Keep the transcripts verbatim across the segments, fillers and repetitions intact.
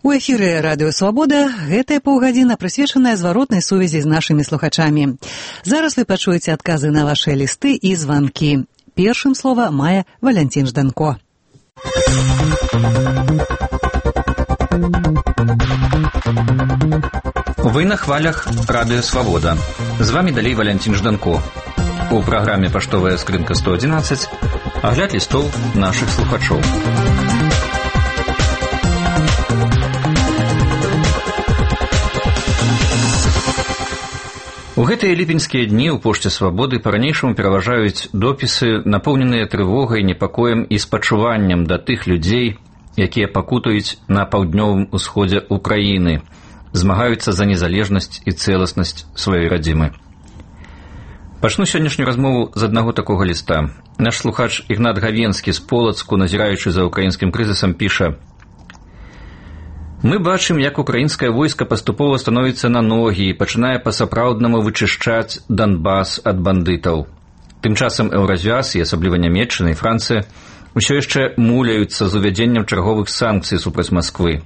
У эфіры радыё «Свабода» гэтая паўгадзіна прысвечаная зваротнай сувязі з нашымі слухачамі. Зараз вы пачуеце адказы на вашыя лісты і званкі. Першым слова мае Валянцін Жданко. Вы на хвалях радыё «Свабода». З вами далей Валянцін Жданко. У праграме «Паштовая скрынка сто адзінаццаць» агляд лістоў нашых слухачоў. У гэтыя ліпеньскія дні ў пошце «Свабоды» па-ранейшаму пераважаюць допісы, напоўненыя трывогай, непакоем і спачуваннем да тых людзей, якія пакутаюць на паўднёвым усходзе ўкраіны, змагаюцца за незалежнасць і цэласнасць сваёй радзімы. Пачну сённяшнюю размову з аднаго такога ліста. Наш слухач Ігнат Гавенскі з Полацку, назіраючы за ўкраінскім крызісам, піша: «Мы бачым, як украінскае войска паступова становіцца на ногі і пачынае па-сапраўднаму вычышчаць Донбас ад бандытаў. Тым часам Еўразвяз, і асабліва Нямецчына і Францыя, усё яшчэ муляюцца з увядзеннем чарговых санкцый супраць Масквы.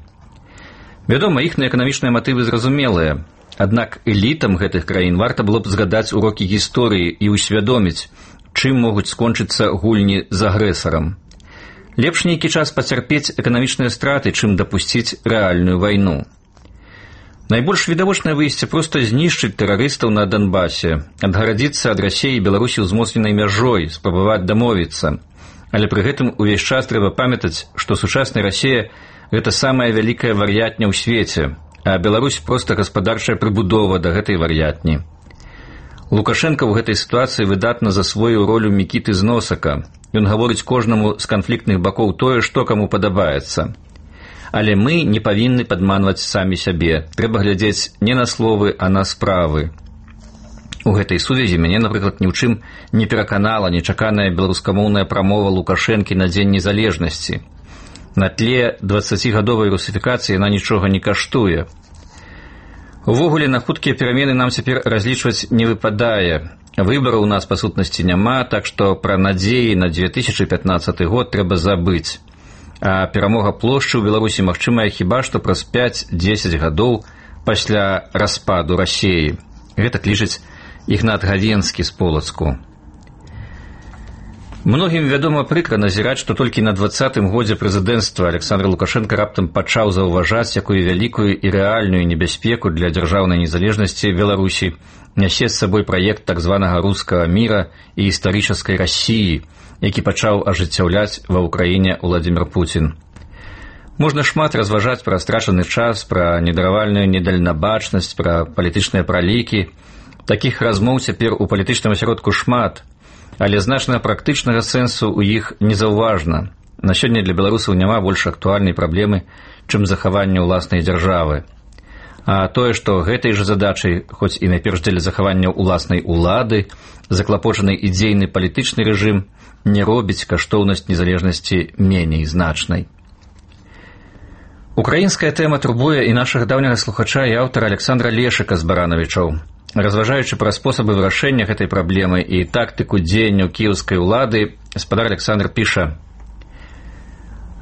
Вядома, іхныя эканамічныя матывы зразумелыя, аднак элітам гэтых краін варта было б згадаць урокі гісторыі і ўсвядоміць, чым могуць скончыцца гульні з агрэсарам. Лепш нейкі час пацярпець эканамічныя страты, чым дапусціць рэальную вайну. Найбольш відавочнае выйсце проста знішчыць тэрарыстаў на Донбасе, адгарадзіцца ад Расіі і Беларусі ўзмоцненай мяжой, спрабаваць дамовіцца. Але пры гэтым увесь час трэба памятаць, што сучасная Расія – гэта самая вялікая вар'ятня ў свеце, а Беларусь проста гаспадарчая прыбудова да гэтай вар'ятні. Лукашенко ў гэтай сітуацыі выдатна засвоіў ролю Мікіты з Носака. Ён гаворыць кожнаму з канфліктных бакоў тое, што каму падабаецца. Але мы не павінны падманваць самі сябе. Трэба глядзець не на словы, а на справы. У гэтай сувязі мяне, напрыклад, ні ў чым не пераканала нечаканая беларускамоўная прамова Лукашэнкі на Дзень незалежнасці. На тле дваццацігадовай русіфікацыі яна нічога не каштуе. Увогуле, на хуткія перамены нам цяпер разлічваць не выпадае. Выбараў у нас, па сутнасці, няма, так што пра надзеі на две тысячы пятнаццаты год трэба забыць. А перамога плошчы ў Беларусі магчымая хіба што праз пяць-дзесяць гадоў пасля распаду Расіі. Гэта лічыць Ігнат Гавенскі з Полацку. Многім, вядома, прыкра назіраць, што толькі на дваццатым годзе прэзідэнцтва Александр Лукашенко раптам пачаў заўважаць, якую вялікую і рэальную небяспеку для дзяржаўнай незалежнасці Беларусі нясе з сабой праект так званага рускага міра і гістарычнай Расіі, які пачаў ажыццяўляць ва ўкраіне Владзімір Пуцін. Можна шмат разважаць пра страчаны час, пра недаравальную недальнабачнасць, пра палітычныя пралікі. Такіх размоў цяпер у палітычным асяродку шмат, але значна практычнага сэнсу ў іх незаўважна. На сёння для беларусаў няма больш актуальнай праблемы, чым захаванне ўласнай дзяржавы. А тое, што гэтай жа задачай, хоць і найперш дзеля захавання ўласнай улады, заклапочаны ідзейны палітычны рэжым, не робіць каштоўнасць незалежнасці меней значнай. Украінская тэма турбуе і нашага даўняга слухача і аўтара Александра Лешыка з Баранавічоў. Разважаючы пра спосабы вырашэння гэтай праблемы і тактыку дзеянняў кіеўскай улады, гаспадар Александр піша: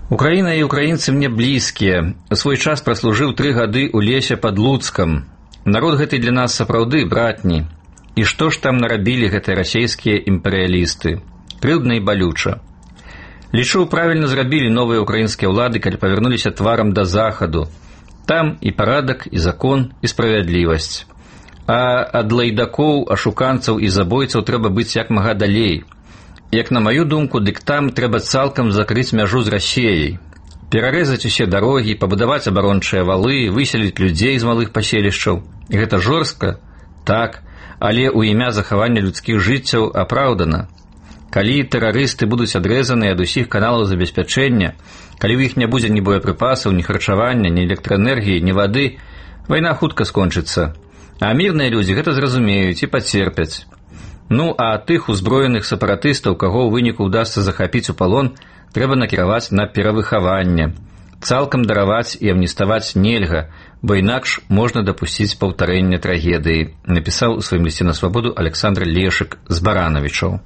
«Украіна і украінцы мне блізкія. У свой час праслужыў тры гады ў лесе пад Луцкам. Народ гэты для нас сапраўды братні. І што ж там нарабілі гэтыя расейскія імперыялісты? Крыўдна і балюча. Лічу, правільна зрабілі новыя украінскія ўлады, калі павярнуліся тварам да захаду. Там і парадак, і закон, і справядлівасць. А ад лайдакоў, ашуканцаў і забойцаў трэба быць як мага далей. Як на маю думку, дык там трэба цалкам закрыць мяжу з Расіяй. Перарэзаць усе дарогі, пабудаваць абарончыя валы, выселіць людзей з малых паселішчаў. Гэта жорстка? Так, але ў імя захавання людскіх жыццяў апраўдана. Калі тэрарысты будуць адрэзаны ад усіх каналаў забеспячэння, калі ў іх не будзе ні боепрыпасаў, ні харчавання, ні электраэнергіі, ні вады, вайна хутка скончыцца. А мірныя людзі гэта зразумеюць і пацерпяць. Ну, а тых узброеных сепаратыстаў, каго ў выніку ўдасца захапіць у палон, трэба накіраваць на перавыхаванне. Цалкам дараваць і амніставаць нельга, бо інакш можна дапусціць паўтарэння трагедыі, напісаў у сваім лісце на свабоду Александр Лешык з Баранавічоў.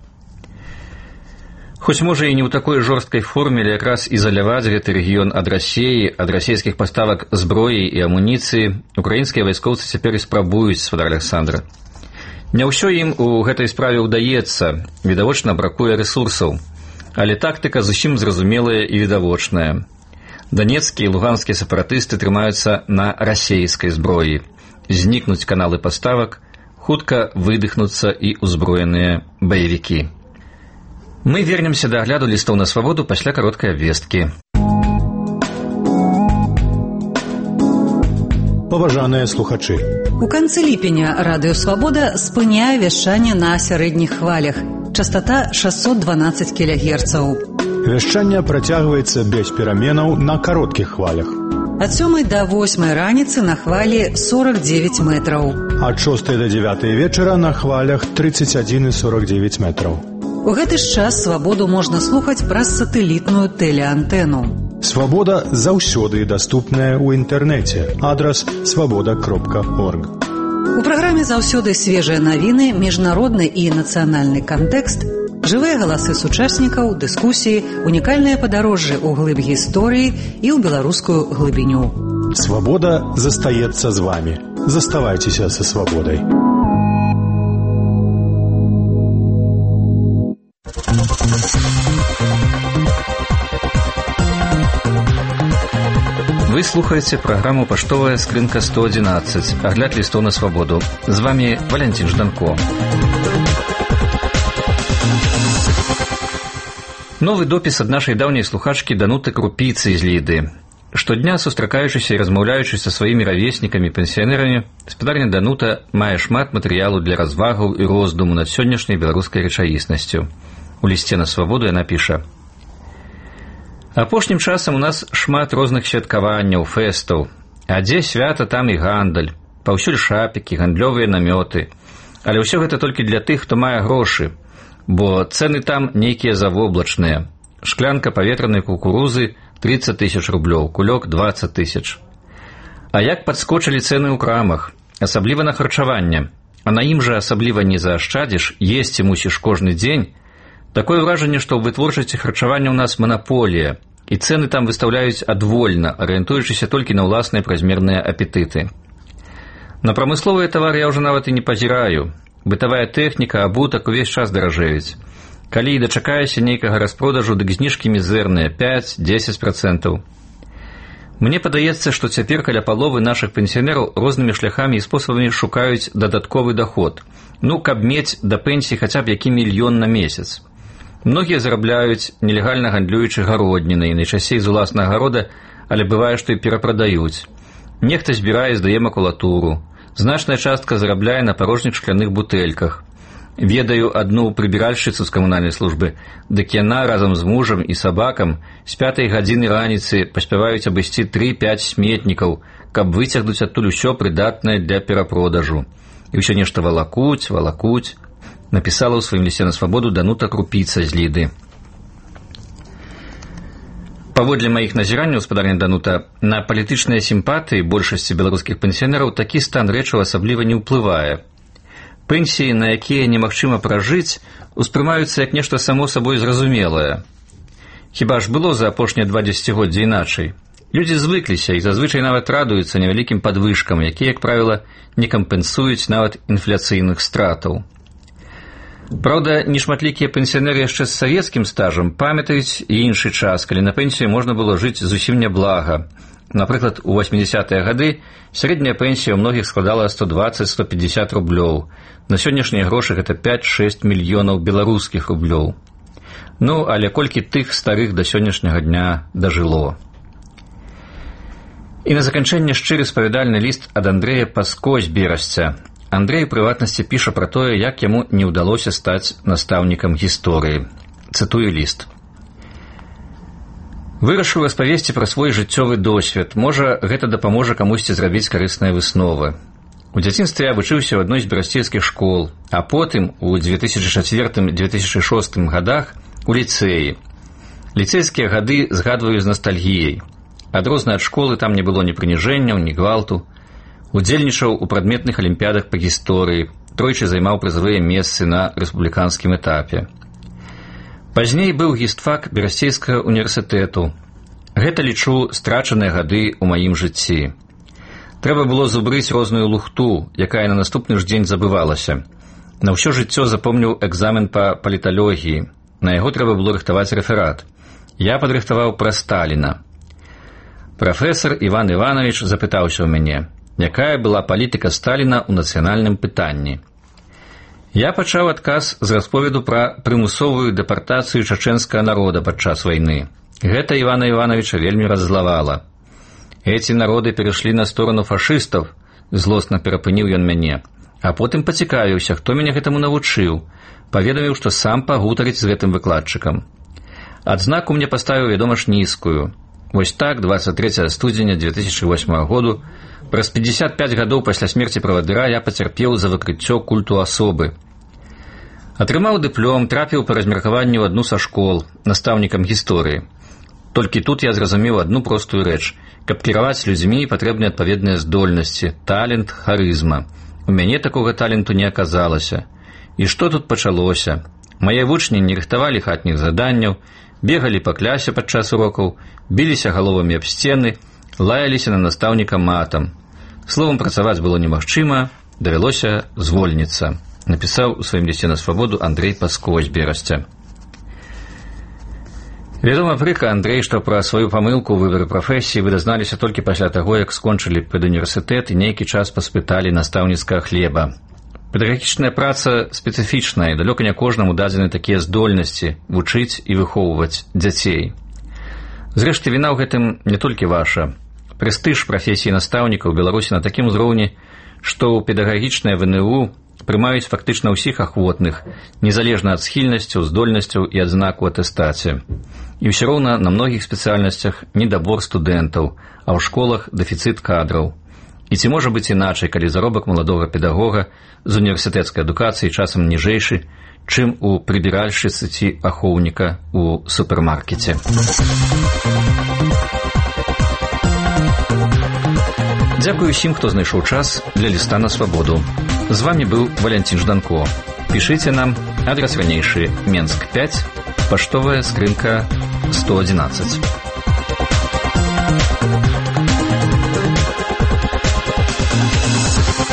Хоць можа і не ў такой жорсткай форме, але якраз ізаляваць гэты рэгіён ад Расіі, ад расійскіх паставак зброі і амуніцыі украінскія вайскоўцы цяпер і спрабуюць, спадар Аляксандр. Не ўсё ім у гэтай справе ўдаецца, відавочна бракуе рэсурсаў, але тактыка зусім зразумелая і відавочная. Данецкія і луганскія сепаратысты трымаюцца на расейскай зброі. Знікнуць каналы паставак, хутка выдыхнуцца і ўзброеныя баевікі. Мы вернемся да агляду лістоў на свабоду пасля кароткай абвесткі. Паважаныя слухачы. У канцы ліпеня радыё «Свабода» спыняе вяшчанне на сярэдніх хвалях. Частота шэсцьсот дванаццаць кілагерцаў. Вяшчанне працягваецца без пераменаў на кароткіх хвалях. Ад сёмай да восьмай раніцы на хвалі сорок дзевяць метраў. Ад шостай да дзявятай вечара на хвалях тридцать один и сорок девять метраў. У гэты ж час «Свабоду» можна слухаць праз сатэлітную тэлеантэну. «Свабода» заўсёды даступная ў інтэрнэце. Адрас свабода кропка орг. У праграме заўсёды свежыя навіны, міжнародны і нацыянальны кантэкст, жывыя галасы сучаснікаў, дыскусіі, унікальныя падарожжы ў глыб гісторыі і ў беларускую глыбіню. «Свабода» застаецца з вамі. Заставайцеся са «Свабодай». Вы слухаеце праграму «Паштовая скрынка сто адзінаццаць», агляд лістоў на свабоду. З вами Валянцін Жданко. Новы допіс ад нашай даўняй слухачкі Дануты Крупіцы з Ліды. Штодня, сустракаючыся і размаўляючы са сваімі равеснікамі-пенсіянерамі, спадарня Данута мае шмат матэрыялу для развагаў і роздуму над сённяшняй беларускай рэчаіснасцю. У лісце на свабоду яна піша: «Апошнім часам у нас шмат розных святкаванняў, фэстаў. А дзе свята, там і гандаль. Паўсюль шапікі, гандлёвыя намёты. Але ўсё гэта толькі для тых, хто мае грошы, бо цэны там нейкія завоблачныя. Шклянка паветранай кукурузы тридцать тысяч рублёў, кулёк двадцать тысяч. А як падскочылі цэны ў крамах, асабліва на харчаванне, а на ім жа асабліва не заашчадзіш, есці мусіш кожны дзень. Такое ўражанне, што ў вытворчасці харчавання ў нас манаполія, і цэны там выстаўляюць адвольна, арыентуючыся толькі на ўласныя празмерныя апетыты. На прамысловыя тавары я ўжо нават і не пазіраю. Бытавая тэхніка, абутак увесь час даражэюць. Калі і дачакаешся нейкага распродажу, дык зніжкі мізэрныя, пяць-дзесяць працэнтаў. Мне падаецца, што цяпер каля паловы нашых пенсіянераў рознымі шляхамі і спосабамі шукаюць дадатковы даход. Ну, каб мець да пенсіі хаця б які мільён на месяц. Многія зарабляюць, нелегальна гандлюючы гароднінай, найчасцей з уласнага гарода, але бывае, што і перапрадаюць. Нехта збірае і здае макулатуру. Значная частка зарабляе на парожніх шкляных бутэльках. Ведаю адну прыбіральшчыцу з камунальнай службы, дык яна разам з мужам і сабакам з пятай гадзіны раніцы паспяваюць абысці тры-пяць сметнікаў, каб выцягнуць адтуль усё прыдатнае для перапродажу. І ўсё нешта валакуць, валакуць. Напісала ў сваім лісце на свабоду Данута Крупіца з Ліды. Паводле маіх назіранняў, спадарня Данута, на палітычныя сімпатыі большасці беларускіх пенсіянераў такі стан рэчаў асабліва не ўплывае. Пенсіі, на якія немагчыма пражыць, успрымаюцца як нешта само сабой зразумелае. Хіба ж было за апошнія два дзесяцігоддзі іначай? Людзі звыкліся і зазвычай нават радуюцца невялікім падвышкам, якія, як правіла, не кампенсуюць нават інфляцыйных стратаў. Праўда, нешматлікія пенсіянеры яшчэ з савецкім стажам памятаюць і іншы час, калі на пенсію можна было жыць зусім няблага. Напрыклад, у восьмідзясятыя гады сярэдняя пенсія ў многіх складала сто дваццаць - сто пятьдесят рублёў. На сённяшнія грошы гэта пяць-шэсць мільёнаў беларускіх рублёў. Ну, але колькі тых старых да сённяшняга дня дажыло. І на заканчэнне шчыры спавядальны ліст ад Андрэя Паско з Берасця. Андрэй у прыватнасці піша пра тое, як яму не ўдалося стаць настаўнікам гісторыі. Цытую ліст. Вырашыў распавесці пра свой жыццёвы досвед. Можа, гэта дапаможа камусьці зрабіць карысныя высновы. У дзяцінстве я вучыўся ў адной з берасцейскіх школ, а потым у две тысячы чацвёртым - две тысячы шостым гадах у ліцэі. Ліцэйскія гады згадваю з настальгіяй. Адрозна ад школы там не было ні прыніжэнняў, ні гвалту. Удзельнічаў у прадметных алімпіядах па гісторыі, тройчы займаў прызавыя месцы на рэспубліканскім этапе. Пазней быў гістфак Берасцейскага універсітэту. Гэта, лічу, страчаныя гады ў маім жыцці. Трэба было зубрыць розную лухту, якая на наступны ж дзень забывалася. На ўсё жыццё запомніў экзамен па паліталогіі. На яго трэба было рыхтаваць рэферат. Я падрыхтаваў пра Сталіна. Прафесар Іван Іванович запытаўся ў мяне, якая была палітыка Сталіна ў нацыянальным пытанні. Я пачаў адказ з расповеду пра прымусовую дэпартацыю чачэнскага народа падчас вайны. Гэта Івана Івановича вельмі раззлавала. «Эти народы перайшлі на сторону фашыстаў», злосна перапыніў ён мяне, а потым пацікавіўся, хто мяне гэтаму навучыў, паведаміў, што сам пагутарыць з гэтым выкладчыкам. Адзнаку мне паставіў, вядома ж, нізкую. Вось так, дваццаць трэцяга студзеня дзве тысячы восьмага году, праз пятьдесят пять гадоў пасля смерці правадыра я пацярпеў за выкрыццё культу асобы. Атрымаў дыплом, трапіў па размеркаванню ў адну са школ, настаўнікам гісторыі. Толькі тут я зразумеў адну простую рэч. Каб кіраваць людзьмі, патрэбны адпаведныя здольнасці, талент, харызма. У мяне такога таленту не аказалася. І што тут пачалося? Мае вучні не рыхтавалі хатніх заданняў, бегалі па клясе падчас урокаў, біліся галовамі аб сцены, лаяліся на настаўніка матам. Словам, працаваць было немагчыма, давялося звольніцца, напісаў у сваім лісце на свабоду Андрэй Паско з Берасця. Вядома, прыкра, Андрэй, што пра сваю памылку ў выбары прафесіі вы дазналіся толькі пасля таго, як скончылі педуніверсітэт і нейкі час паспыталі настаўніцкага хлеба. Педагагічная праца спецыфічная, і далёка не кожнаму дадзены такія здольнасці вучыць і выхоўваць дзяцей. Зрэшты, віна ў гэтым не толькі ваша. Прэстыж прафесіі настаўніка ў Беларусі на такім узроўні, што ў педагагічнае ВНУ прымаюць фактычна ўсіх ахвотных, незалежна ад схільнасцяў, здольнасцяў і адзнаку атэстацыі. І ўсё роўна на многіх спецыяльнасцях недабор студэнтаў, а ў школах дэфіцыт кадраў. І ці можа быць іначай, калі заробак маладога педагога з універсітэцкай адукацыяй часам ніжэйшы, чым у прыбіральшчыцы ці ахоўніка ў супермаркеце. Дзякую усім, хто знайшоў час для ліста на свабоду. З вами быў Валянцін Жданко. Пішыце нам, адрас ранейшы Менск пять, паштовая скрынка сто одиннадцать.